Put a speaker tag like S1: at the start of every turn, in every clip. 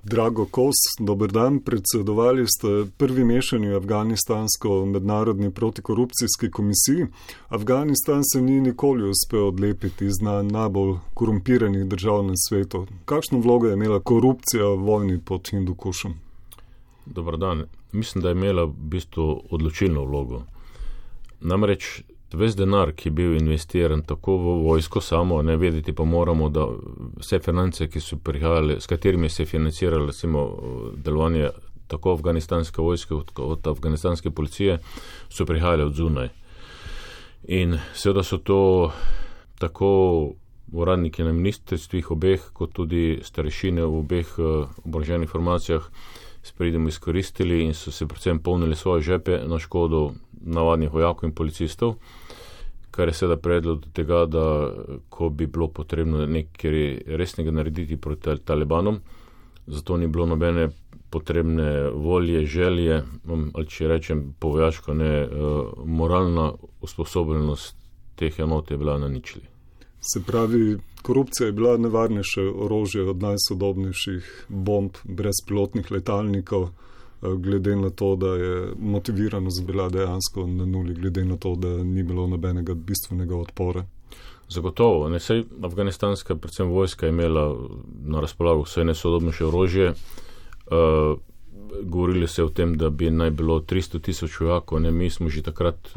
S1: Drago Kos, dober dan, predsedovali ste prvi mešanju afganistansko mednarodni protikorupcijski komisiji. Afganistan se ni nikoli uspel odlepiti iz najbolj korumpiranih držav na svetu. Kakšno vlogo je imela korupcija v vojni pod Hindukušem?
S2: Dobar dan. Mislim, da je imela v bistvu odločilno vlogo. Namreč ves denar, ki je bil investiran tako v vojsko samo, ne vedeti pa moramo, da vse finance, ki so prihajale, s katerimi se je financiralo recimo delovanje tako afganistanske vojske kot afganistanske policije, so prihajale od zunaj. In seveda so to tako uradniki na ministrstvih obeh, kot tudi starešine v obeh oboroženih formacijah s pridem izkoristili in so se predvsem polnili svoje žepe na škodo navadnih vojakov in policistov, kar je seveda predlo do tega, da ko bi bilo potrebno nekaj resnega narediti proti Talibanom, zato ni bilo nobene potrebne volje, želje, ali če rečem po vojaško, ne, moralna usposobljenost teh enot je bila na ničli.
S1: Se pravi, korupcija je bila nevarnejše orožje od najsodobnejših bomb, brezpilotnih letalnikov, glede na to, da je motiviranost bila dejansko na nuli, glede na to, da ni bilo nobenega bistvenega odpora.
S2: Zagotovo. Ne, saj afganistanska, predvsem vojska, je imela na razpolago vse najsodobnejše orožje. Govorili se o tem, da bi naj bilo 300,000 vojakov. Mi smo že takrat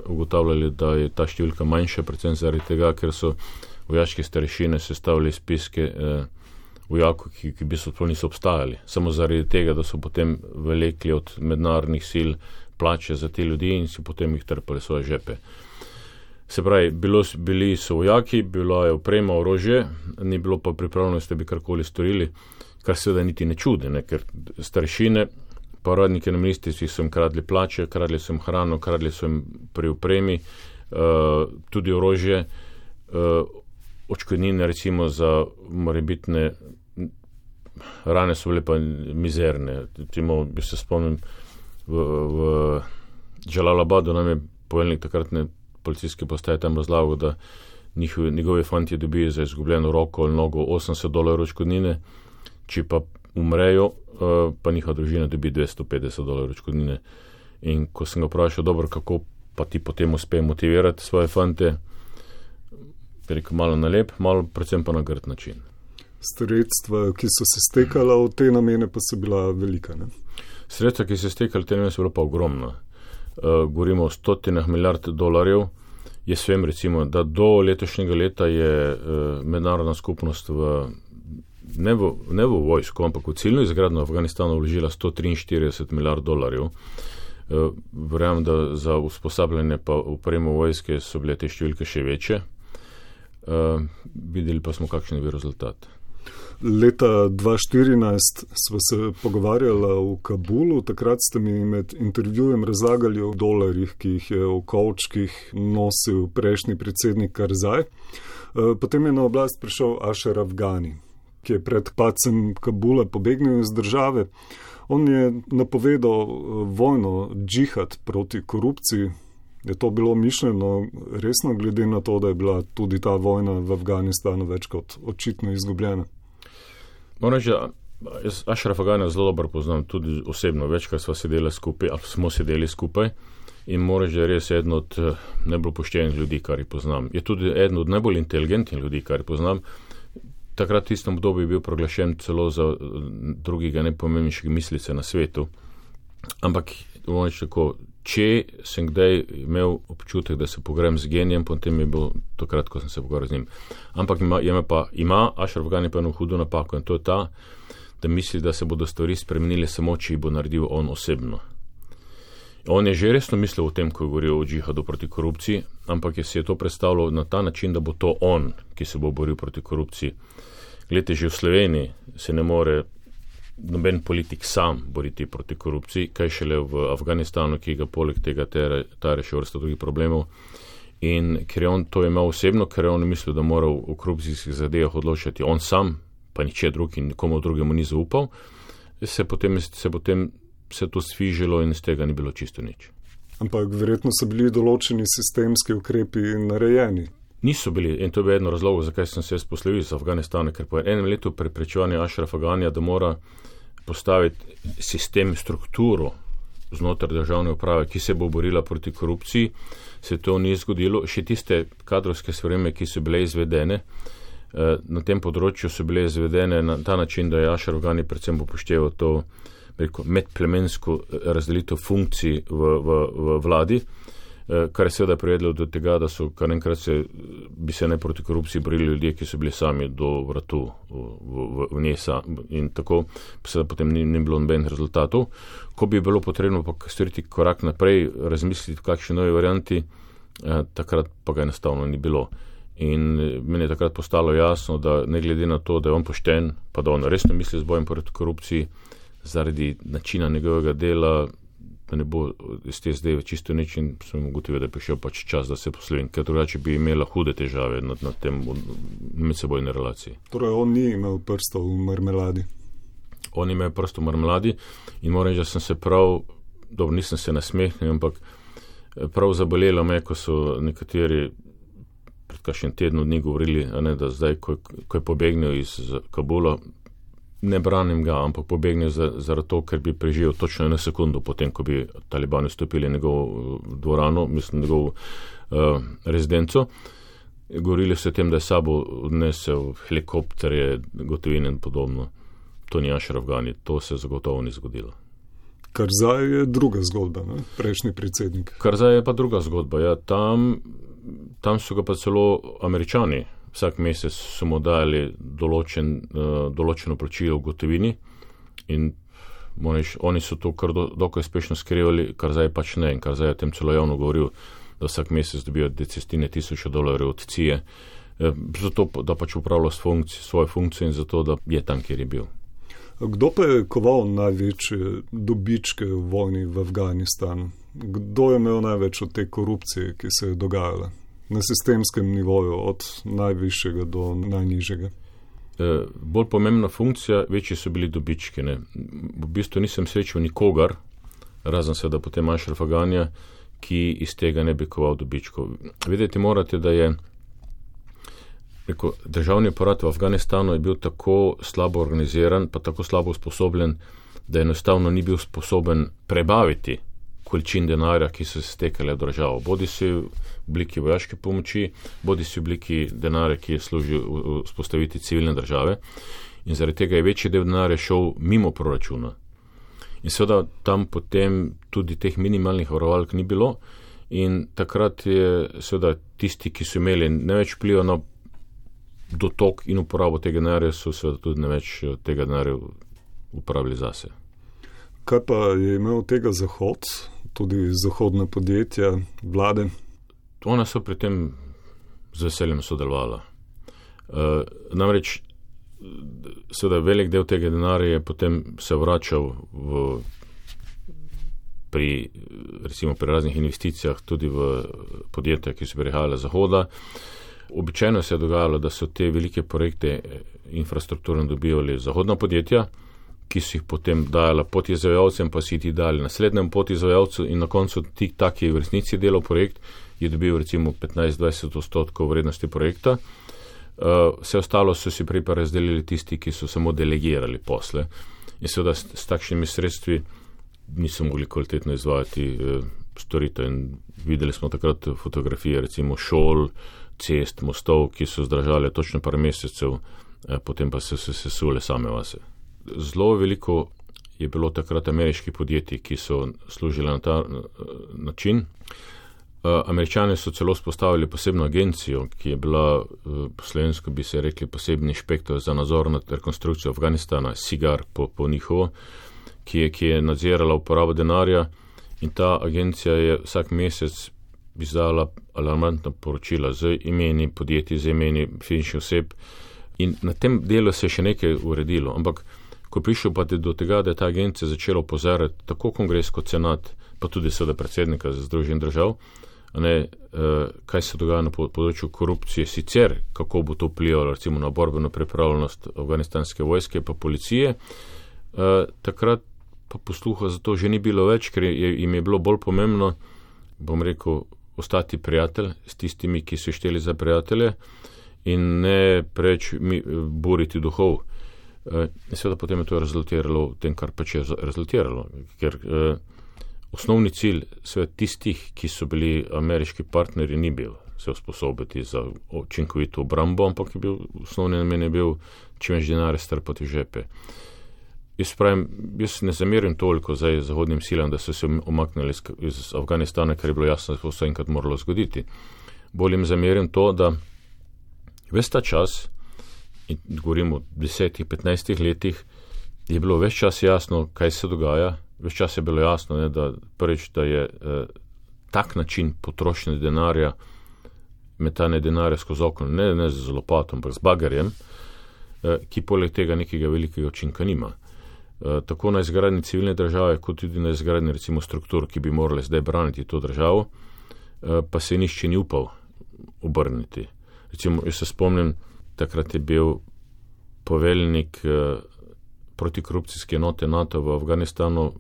S2: ugotavljali, da je ta številka manjša, predvsem zaradi tega, ker so vojaške starešine sestavili spiske vojakov, ki v bistvu niso obstajali. Samo zaradi tega, da so potem vlekli od mednarodnih sil plače za te ljudi in si potem jih trpali svoje žepe. Se pravi, bili so vojaki, bila je oprema, orožje, ni bilo pa pripravljenosti, da bi karkoli storili, kar seveda niti ne čudi, ne? Ker starešine, pa uradniki na ministrstvih so jim kradli plače, kradli so jim hrano, kradli so jim pri opremi, tudi orožje, odškodnine recimo za morebitne rane so bile pa mizerne. Recimo, bi se spomnim, v Džalalabadu nam je poveljnik takratne policijske postaje tam razlagal, da njegovi fantje dobijo za izgubljeno roko ali nogo $80 odškodnine, če pa umrejo, pa njihova družina dobi $250 odškodnine. In ko sem ga vprašal, dobro, kako pa ti potem uspe motivirati svoje fante, rekel, malo na lep, malo predvsem pa na grd način.
S1: Sredstva, ki so se stekala v te namene, pa so bila velika, ne?
S2: Sredstva, ki so se stekala v te namene, so bila pa ogromna. Govorimo o $100 milijard. Jaz vem recimo, da do letošnjega leta je mednarodna skupnost ne v vojsko, ampak v ciljno izgradnjo Afganistanu vložila $143 milijard. Verjamem, da za usposabljanje pa opremo vojske so bile te številke še večje. Videli pa smo, kakšen je bil rezultat.
S1: Leta 2014 sva se pogovarjala v Kabulu, takrat ste mi med intervjujem razlagali o dolarjih, ki jih je v kovčkih nosil prejšnji predsednik Karzaj. Potem je na oblast prišel Ashraf Ghani, ki je pred padcem Kabula pobegnil iz države. On je napovedal vojno, džihad proti korupciji. Je to bilo mišljeno resno, glede na to, da je bila tudi ta vojna v Afganistanu več kot očitno izgubljena?
S2: Moram reči, jaz Ashrafa Ghanija zelo dobro poznam, tudi osebno, večkrat smo sedeli skupaj in moram reči, da je res eden od najbolj poštenih ljudi, kar jih poznam. Je tudi eden od najbolj inteligentnih ljudi, kar jih poznam. Takrat v tistem obdobju je bil proglašen celo za drugega najpomembnejšega mislice na svetu. Ampak, moram reči tako, če sem kdaj imel občutek, da se pogovarjam z genijem, potem je bil takrat, ko sem se pogovarjal z njim. Ampak ima Ashraf Ghani pa eno hudo napako in to je ta, da misli, da se bodo stvari spremenile samo, če jih bo naredil on osebno. On je že resno mislil o tem, ko je govoril o džihadu proti korupciji, ampak si je to predstavljal na ta način, da bo to on, ki se bo boril proti korupciji. Glede, že v Sloveniji se ne more noben politik sam boriti proti korupciji, kaj šele v Afganistanu, ki ga poleg tega tare še vrsta drugih problemov. In ker je on to imel osebno, ker je on mislil, da mora v korupcijskih zadevah odločati on sam, pa niče drug in nikomu drugemu ni zaupal, se potem se to sfižilo in iz tega ni bilo čisto nič.
S1: Ampak verjetno so bili določeni sistemski ukrepi narejeni.
S2: Niso bili, in to je bil eno razlogov, zakaj sem se poslovil iz Afganistana, ker po enem letu preprečevanja Ašrafa Ganija, da mora postaviti sistem, strukturo znotraj državne uprave, ki se bo borila proti korupciji, se to ni zgodilo. Še tiste kadrovske spremembe, ki so bile izvedene, na tem področju so bile izvedene na ta način, da je Ašraf Gani predvsem upošteval to medplemensko razdelitev funkcij v vladi, kar je seveda privedlo do tega, da so kar enkrat bi se ne proti korupciji borili ljudje, ki so bili sami do vratu v njej in tako seveda potem ni bilo nobenih rezultatov. Ko bi bilo potrebno pa storiti korak naprej, razmisliti v kakšni novi varianti, takrat pa ga enostavno ni bilo. In meni je takrat postalo jasno, da ne glede na to, da je on pošten, pa da on resno misli z bojem proti korupciji, zaradi načina njegovega dela, da ne bo iz te zdaj čisto nič, in sem ugotovil, da je prišel pač čas, da se poslovim, ker drugače bi imela hude težave na tem medsebojne relaciji.
S1: Torej, on ni imel prstov v marmeladi?
S2: On ima prstov v marmeladi in moram reči, da sem se prav, dobro, nisem se nasmehnil, ampak prav zabolelo me, ko so nekateri pred kakšen tednu dni govorili, da zdaj, ko je pobegnil iz Kabula, ne branim ga, ampak pobegnil zaradi to, ker bi preživel točno eno sekundo potem, ko bi talibani vstopili njegov dvorano, mislim, njegov rezidenco. Govorili so o tem, da je sabo odnesel helikopterje, gotovine in podobno. To ni Ašraf Gani, to se zagotovo ni zgodilo.
S1: Karzaj je druga zgodba, ne? Prejšnji predsednik.
S2: Karzaj je pa druga zgodba, ja, tam so ga pa celo Američani, vsak mesec so mu dali določeno plačilo v gotovini in oni so to kar dokaj uspešno skrivali, Karzaj pač ne, in Karzaj je tem celo javno govoril, da vsak mesec dobijo desetine tisoča dolarjev od CIA, zato da pač upravlja svojo funkcijo in zato, da je tam, kjer je bil.
S1: Kdo pa je koval največje dobičke v vojni v Afganistanu? Kdo je imel največ od te korupcije, ki se je dogajala na sistemskem nivoju, od najvišjega do najnižjega?
S2: Bolj pomembna funkcija, večji so bili dobički. Ne? V bistvu nisem srečal nikogar, razen seveda potem Ašrafa Ganija, ki iz tega ne bi koval dobičkov. Vedeti morate, da je državni aparat v Afganistanu je bil tako slabo organiziran, pa tako slabo usposobljen, da enostavno ni bil sposoben prebaviti količin denarja, ki so se stekale v državo. Bodi si v obliki vojaške pomoči, bodi si v obliki denarja, ki je služil vzpostaviti civilne države. In zaradi tega je večji del denarja šel mimo proračuna. In seveda tam potem tudi teh minimalnih varovalk ni bilo in takrat je seveda tisti, ki so imeli največ vpliva na dotok in uporabo tega denarja, so seveda tudi največ tega denarja uporabili zase.
S1: Kaj pa je imel tega Zahod, tudi zahodna podjetja, vlade?
S2: Ona so pri tem z veseljem sodelovala. Namreč seveda velik del tega denarja je potem se vračal pri raznih investicijah tudi v podjetja, ki so prihajale z Zahoda. Običajno se je dogajalo, da so te velike projekte infrastrukturno dobivali zahodna podjetja, ki so jih potem dajala podizvajalcem, pa si ti dali naslednjem podizvajalcu in na koncu ti taki v resnici delal projekt, je dobil recimo 15-20% vrednosti projekta. Vse ostalo so si prej pa razdelili tisti, ki so samo delegirali posle. In seveda s takšnimi sredstvi niso mogli kvalitetno izvajati storitev. In videli smo takrat fotografije recimo šol, cest, mostov, ki so zdržali točno par mesecev, potem pa so se sesule same vase. Zelo veliko je bilo takrat ameriških podjetij, ki so služile na ta način. Američani so celo spostavili posebno agencijo, ki je bila, po slovensko bi se rekli, posebni inšpektor za nadzor nad rekonstrukcijo Afganistana, SIGAR po njihovo, ki je nadzirala uporabo denarja, in ta agencija je vsak mesec izdala alarmantna poročila z imeni podjetij, z imeni fizičnih oseb, in na tem delu se je še nekaj uredilo, ampak ko prišel pa do tega, da je ta agencija začela opozarjati tako kongres kot senat, pa tudi seveda predsednika Združenih držav, kaj se dogaja na področju korupcije sicer, kako bo to vplivalo recimo na borbeno pripravljenost afganistanske vojske pa policije, takrat pa posluha za to že ni bilo več, ker jim je bilo bolj pomembno, bom rekel, ostati prijatelj s tistimi, ki so šteli za prijatelje in ne preč boriti duhov. Seveda potem je to rezultiralo v tem, kar pač je rezultiralo, ker osnovni cilj tistih, ki so bili ameriški partnerji, ni bil se usposobiti za učinkovito obrambo, ampak je bil, osnovni namen je bil čim več denarja strpati v žepe. Jaz ne zamerim toliko zdaj zahodnim silam, da so se umaknili iz Afganistana, ker je bilo jasno, da se vse enkrat moralo zgoditi. Bolj jim zamerim to, da ves ta čas, in govorim o 10-15 letih, je bilo ves čas jasno, kaj se dogaja. Ves čas je bilo jasno, da prvič, da je tak način potrošnje denarja, metanje denarja skozi okno, ne z lopatom, ampak z bagerjem, ki poleg tega nekega velikega učinka nima. Tako na izgradnji civilne države, kot tudi na izgradnji recimo struktur, ki bi morali zdaj braniti to državo, pa se nišče ni upal obrniti. Recimo, jaz se spomnim, takrat je bil poveljnik protikorupcijske enote NATO v Afganistanu,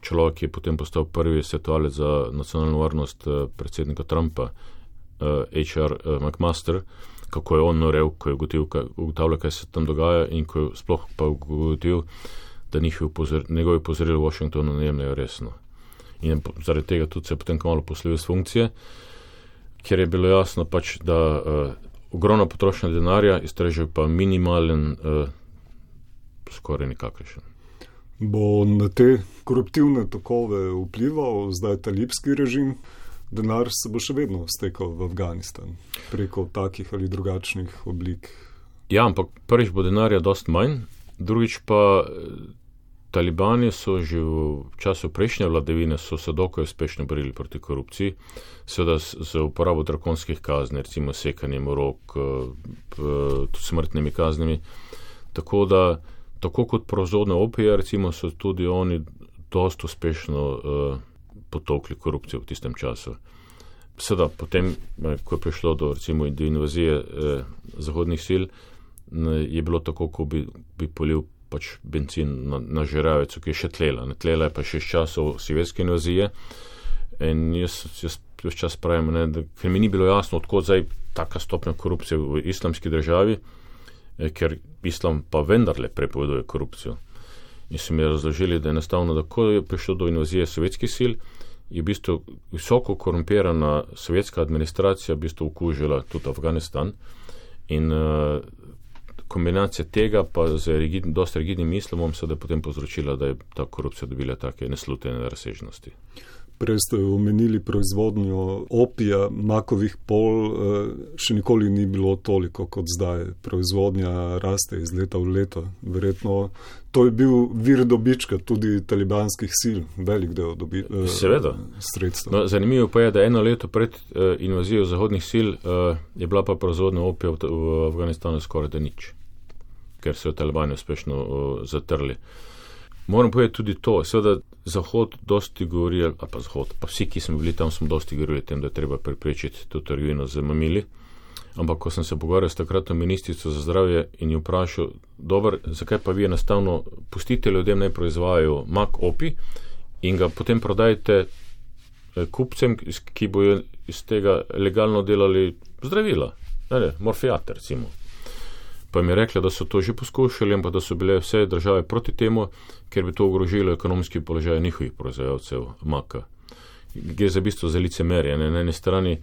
S2: človek, ki je potem postal prvi svetovalec za nacionalno varnost predsednika Trumpa, H.R. McMaster, kako je on norel, ko je ugotavljal, kaj se tam dogaja in ko je sploh pa ugotovil, da njegovi upozorili v Washingtonu ne jemljajo resno. In zaradi tega tudi se je potem kmalu poslovil z funkcije, ker je bilo jasno pač, da ogromna potrošnja denarja iztreže pa minimalen, skoraj nikakršen.
S1: Bo na te koruptivne tokove vplival zdaj talibski režim? Denar se bo še vedno stekal v Afganistan preko takih ali drugačnih oblik.
S2: Ja, ampak prvič bo denarja dost manj, drugič pa talibani so že v času prejšnje vladavine so se dokaj uspešno borili proti korupciji, seveda z uporabo drakonskih kazni, recimo sekanjem rok, tudi smrtnimi kaznimi. Tako da, tako kot proizvodnja opija, recimo so tudi oni dost uspešno potokli korupcijo v tistem času. Seveda, potem, ko je prišlo do, recimo, do invazije zahodnih sil, je bilo tako, ko bi polil pač benzin na žeravico, ki je še tlela. Tlela je pa še iz časov sovjetske invazije. In jaz ves čas pravim, ker mi ni bilo jasno, odkot zdaj taka stopnja korupcije v islamski državi, ker islam pa vendarle prepoveduje korupcijo. In so mi razložili, da enostavno, da ko je prišlo do invazije sovjetskih sil, je v bistvu visoko korumpirana sovjetska administracija v bistvu okužila tudi Afganistan in kombinacija tega pa z dosti rigidnim islamom se da potem povzročila, da je ta korupcija dobila take neslutene razsežnosti.
S1: Prej ste omenili proizvodnjo opija, makovih pol, še nikoli ni bilo toliko kot zdaj. Proizvodnja raste iz leta v leto. Verjetno to je bil vir dobička tudi talibanskih sil, velik del sredstva.
S2: No, zanimivo pa je, da eno leto pred invazijo zahodnih sil je bila pa proizvodnja opija v Afganistanu skoraj da nič, ker so talibani uspešno zatrli. Moram povedati tudi to, seveda Zahod dosti govori, pa vsi, ki smo bili tam, smo dosti govorili o tem, da je treba preprečiti to trgovino z mamili, ampak ko sem se pogovarjal s takratno ministrico za zdravje in jo vprašal, dobro, zakaj pa vi enostavno pustite ljudem naj proizvajajo mak opi in ga potem prodajte kupcem, ki bojo iz tega legalno delali zdravila, morfijate recimo. Pa mi je rekla, da so to že poskušali, ampak da so bile vse države proti temu, ker bi to ogrožilo ekonomski položaj njihovih proizvajalcev maka. Gre za bistvo za licemerje. Na eni strani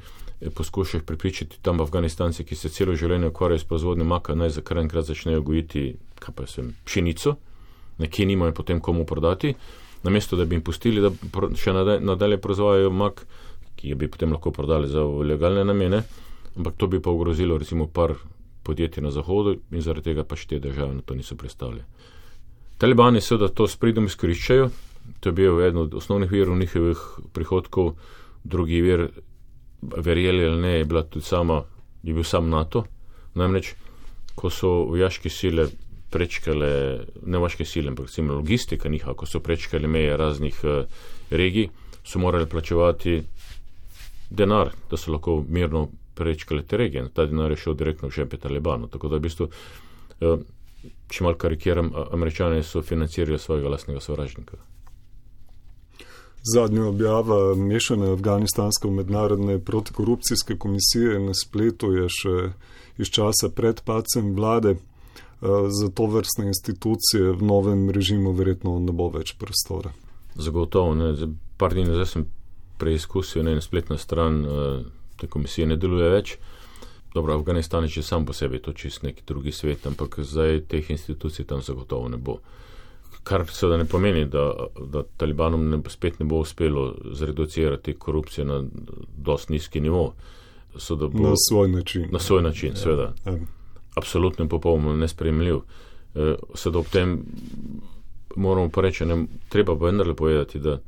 S2: poskušaš prepričati tam Afganistanci, ki se celo življenje ukvarjajo s proizvodnjo maka, naj za kar enkrat začnejo gojiti pšenico, nekje nimajo potem komu prodati, namesto da bi jim pustili, da še nadalje proizvajajo mak, ki bi potem lahko prodali za legalne namene, ampak to bi pa ogrozilo recimo par podjetij na Zahodu in zaradi tega pač te države na to niso pristali. Talibani seveda to s pridom izkoriščajo, to je bil eden od osnovnih virov njihovih prihodkov, drugi vir, verjeli ali ne, je bil sam NATO, namreč, ko so vojaške sile prečkale, ne vojaške sile, ampak recimo logistika njihova, ko so prečkali meje raznih regij, so morali plačevati denar, da so lahko mirno prečkali te regije. Ta denar je šel direktno v žepe Talibanu. Tako da v bistvu, če malo karikiram, Američani so financirali svojega lastnega sovražnika.
S1: Zadnja objava mešane afganistansko-mednarodne protikorupcijske komisije na spletu je še iz časa pred padcem vlade. Za to vrstne institucije v novem režimu verjetno ne bo več prostora.
S2: Zagotovo, ne. Par dni nazaj sem preizkusil, ne, spletna stran te komisije ne deluje več. Dobro, Afganistan je že sam po sebi, to čist neki drugi svet, ampak zdaj teh institucij tam zagotovo ne bo. Kar seveda ne pomeni, da Talibanom spet ne bo uspelo zreducirati korupcije na dost nizki nivo.
S1: Na svoj način.
S2: Na svoj način, seveda. Absolutno in popolnoma nesprejemljiv. Seveda ob tem moramo pa reči, treba pa vendarle povedati, da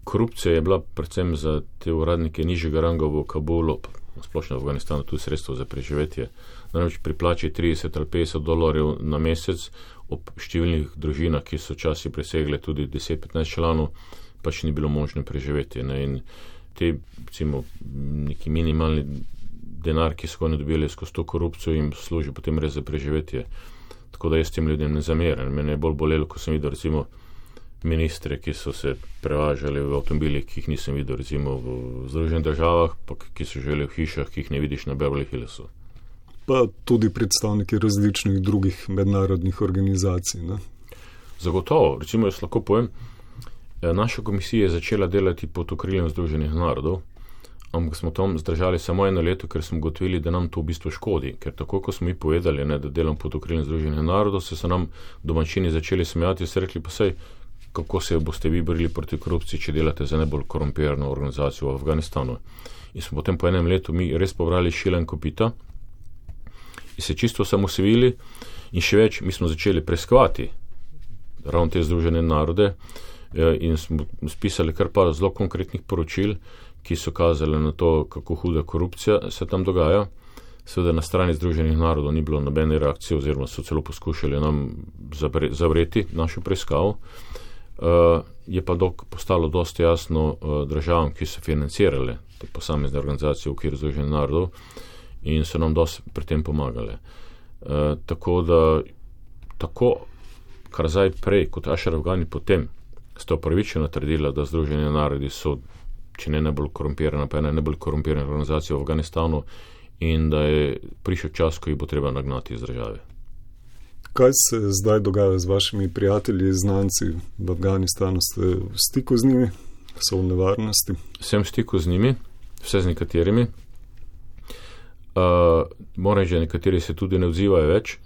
S2: korupcija je bila predvsem za te uradnike nižjega ranga v Kabulu, splošno v Afganistanu, tudi sredstvo za preživetje. Namreč pri plači $30 ali $50 na mesec, ob številnih družinah, ki so časi presegle tudi 10-15 članov, pač ni bilo možno preživeti. Ne? In te, recimo, neki minimalni denar, ki so ga ne dobili skozi to korupcijo, jim služi potem res za preživetje. Tako da jaz tem ljudem ne zameram. Mene je bolj bolelo, ko sem videl, recimo, ministre, ki so se prevažali v avtomobilih, ki jih nisem videl, recimo v Združenih državah, pa ki so živeli v hišah, ki jih ne vidiš na Beverly Hillsu.
S1: Pa tudi predstavniki različnih drugih mednarodnih organizacij. Ne?
S2: Zagotovo. Recimo, jaz lahko povem, naša komisija je začela delati pod okriljem Združenih narodov, ampak smo tam zdržali samo 1 leto, ker smo ugotovili, da nam to v bistvu škodi. Ker tako, ko smo mi povedali, ne, da delam pod okriljem Združenih narodov, so se nam domačini začeli smejati in so rekli, pa sej, kako se boste vi borili proti korupciji, če delate za najbolj korumpirano organizacijo v Afganistanu. In smo potem po 1 letu mi res pobrali šila in kopita in se čisto osamosvojili in še več, mi smo začeli preiskovati ravno te Združene narode in smo spisali kar par zelo konkretnih poročil, ki so kazali na to, kako huda korupcija se tam dogaja. Seveda na strani Združenih narodov ni bilo nobene reakcije, oziroma so celo poskušali nam zavreti našo preiskavo. Je pa postalo dosti jasno državam, ki so financirale te posamezne organizacije v okviru Združenih narodov in so nam dosti pri tem pomagale. Tako da, kar zdaj prej, kot Ashraf Ghani potem, sta upravičeno trdila, da Združeni narodi so, če ne najbolj korumpirana, pa ena najbolj korumpirana organizacija v Afganistanu in da je prišel čas, ko jih bo treba nagnati iz države.
S1: Kaj se zdaj dogaja z vašimi prijatelji, znanci v Afganistanu? Ste v stiku z njimi? So v nevarnosti?
S2: Sem v stiku z njimi, vse z nekaterimi. Moram že, nekateri se tudi ne odzivajo več.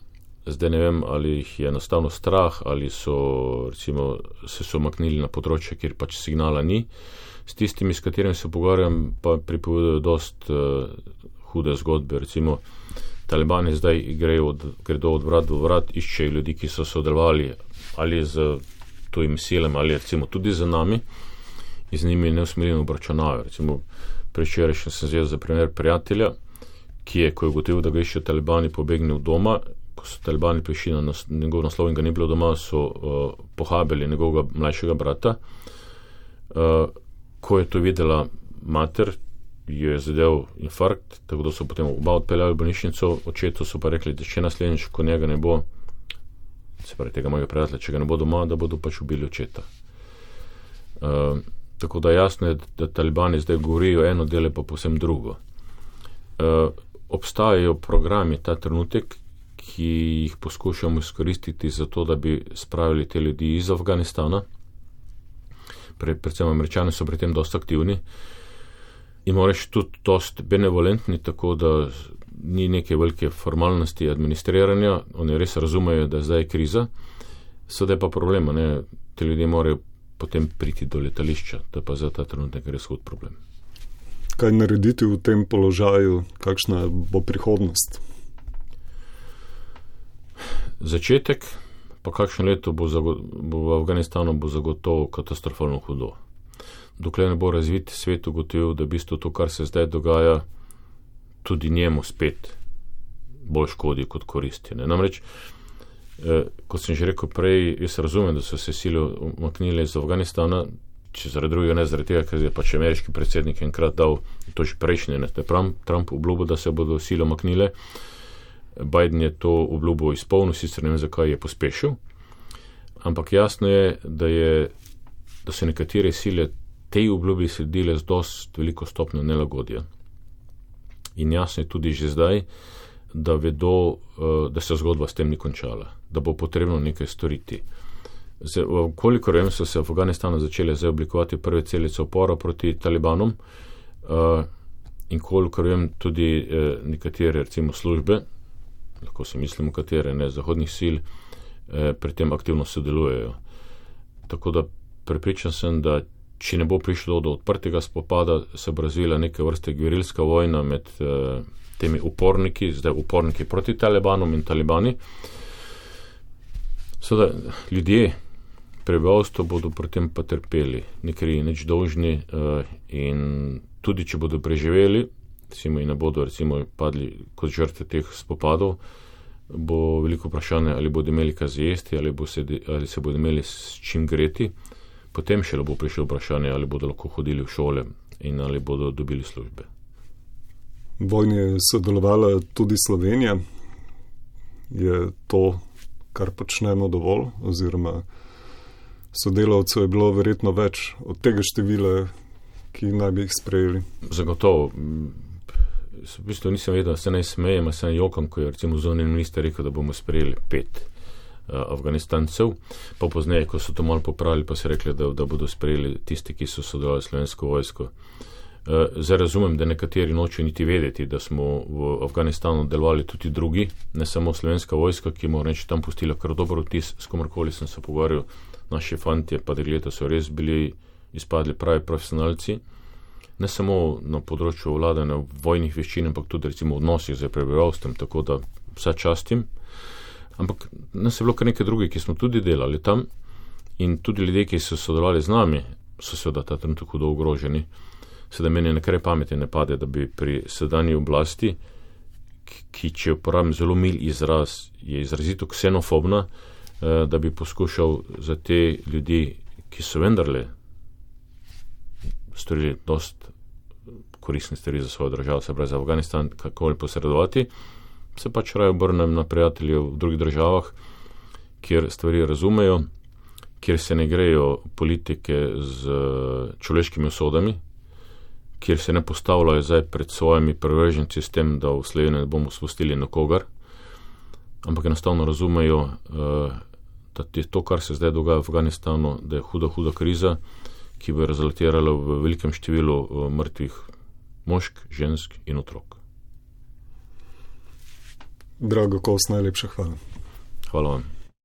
S2: Zdaj ne vem, ali jih je enostavno strah, ali so, recimo, se so maknili na področje, kjer pač signala ni. S tistimi, s katerimi se pogovarjam, pa pripovedujejo dost hude zgodbe. Recimo, Talibani zdaj gredo od vrat do vrat, iščejo ljudi, ki so sodelovali ali z tujimi silami, ali recimo tudi z nami, in z njimi neusmiljeno obračunavajo. Recimo, prevčerajšnjem sem vzel za primer prijatelja, ki je, ko je ugotovil, da ga iščejo Talibani, pobegnil doma. Ko so Talibani prišli na njegov naslov in ga ni bilo doma, so pohabili njegovega mlajšega brata. Ko je to videla mater, jo je zadev infarkt, tako da so potem oba odpeljali v bolnišnico, očetu so pa rekli, da če naslednjič, ko njega ne bo, se pravi tega mojega prijatelja, če ga ne bo doma, da bodo pač ubili očeta. Tako da jasno je, da Talibani zdaj govorijo eno, dele pa povsem drugo. Obstajajo programi ta trenutek, ki jih poskušamo izkoristiti za to, da bi spravili te ljudi iz Afganistana. Predvsem Američani so pri tem dosti aktivni in moraš tudi dosti benevolentni, tako da ni neke velike formalnosti administriranja, oni res razumejo, da zdaj je kriza, sedaj pa problema, ne, te ljudje morajo potem priti do letališča, to je pa za ta trenutek res hud problem.
S1: Kaj narediti v tem položaju, kakšna bo prihodnost?
S2: Začetek, pa kakšno leto bo v Afganistanu bo zagotovo katastrofalno hudo. Dokler ne bo razvit svet ugotovil, da v bistvu to, kar se zdaj dogaja, tudi njemu spet bolj škodi kot koristi. Ne? Namreč, kot sem že rekel prej, jaz razumem, da so se sile umaknile iz Afganistana, če zaradi drugega, ne zaradi tega, ker je pač ameriški predsednik enkrat dal, to že prejšnje, ne, Trump obljubil, da se bodo sile umaknile. Biden je to obljubo izpolnil, sicer ne vem, zakaj je pospešil, ampak jasno je, da je da so nekatere sile tej obljubi sledile z dost veliko stopnjo nelagodja. In jasno je tudi že zdaj, da vedo, da se zgodba s tem ni končala, da bo potrebno nekaj storiti. Kolikor vem, so se v Afganistanu začele zdaj oblikovati prve celice upora proti talibanom, in kolikor vem, tudi nekatere, recimo službe, lahko si mislimo katere, ne, zahodnih sil, pri tem aktivno sodelujejo. Tako da prepričan sem, da če ne bo prišlo do odprtega spopada, se bo razvila neke vrste gverilska vojna med temi uporniki, zdaj uporniki proti talibanom in talibani. Seveda ljudje, prebivalstvo bodo pri tem pa trpeli, nekaj nič dolžni, in tudi če bodo preživeli, recimo in ne bodo recimo padli kot žrtve teh spopadov, bo veliko vprašanje, ali bodo imeli kaj zjesti, ali se bodo imeli s čim greti. Potem še bo prišlo vprašanje, ali bodo lahko hodili v šole in ali bodo dobili službe.
S1: V vojni je sodelovala tudi Slovenija. Je to, kar počnemo, dovolj? Oziroma sodelavcev je bilo verjetno več od tega števila, ki naj bi jih sprejeli?
S2: Zagotovo. V bistvu nisem vedel, da se naj smejem, se naj jokam, ko je recimo zunanji minister rekel, da bomo sprejeli 5 Afganistancev, pa pozneje, ko so to malo popravili, pa so rekli, da bodo sprejeli tisti, ki so sodelovali s slovensko vojsko. Zdaj razumem, da nekateri nočejo niti vedeti, da smo v Afganistanu delovali tudi drugi, ne samo slovenska vojska, ki moram reči tam pustila kar dober vtis, s komorkoli sem se pogovarjal, naši fantje pa dekleta so res bili izpadli pravi profesionalci, ne samo na področju vladanja vojnih veščin, ampak tudi recimo v odnosih z prebivalstvom, tako da vsa častim. Ampak nas je bilo kar nekaj drugih, ki smo tudi delali tam, in tudi ljudje, ki so sodelovali z nami, so seveda ta trenutek hudo ogroženi. Sedaj meni nekaj pameti ne pade, da bi pri sedanji oblasti, ki, če uporabim zelo mil izraz, je izrazito ksenofobna, da bi poskušal za te ljudi, ki so vendarle storili dost koristne stvari za svojo državo, se pravi za Afganistan, kakoli posredovati, se pač raje obrnem na prijatelje v drugih državah, kjer stvari razumejo, kjer se ne grejo politike z človeškimi usodami, kjer se ne postavljajo zdaj pred svojimi privrženci s tem, da v Sloveniji ne bomo spustili nikogar, ampak enostavno razumejo, da je to, kar se zdaj dogaja v Afganistanu, da je huda kriza, ki bo rezultirala v velikem številu mrtvih mošk, žensk in otrok.
S1: Drago Kos, najlepša hvala.
S2: Hvala vam.